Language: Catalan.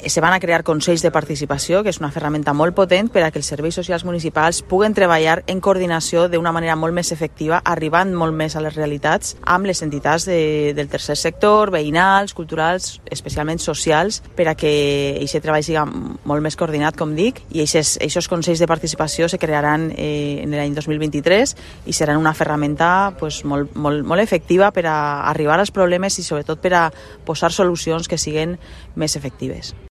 Se van a crear consells de participació, que és una ferramenta molt potent per a que els serveis socials municipals puguen treballar en coordinació d'una manera molt més efectiva, arribant molt més a les realitats amb les entitats del tercer sector, veïnals, culturals, especialment socials, per a que aquest treball sigui molt més coordinat, com dic, i aquests consells de participació se crearan en l'any 2023 i seran una ferramenta molt efectiva per a arribar als problemes i sobretot per a posar solucions que siguin més efectives.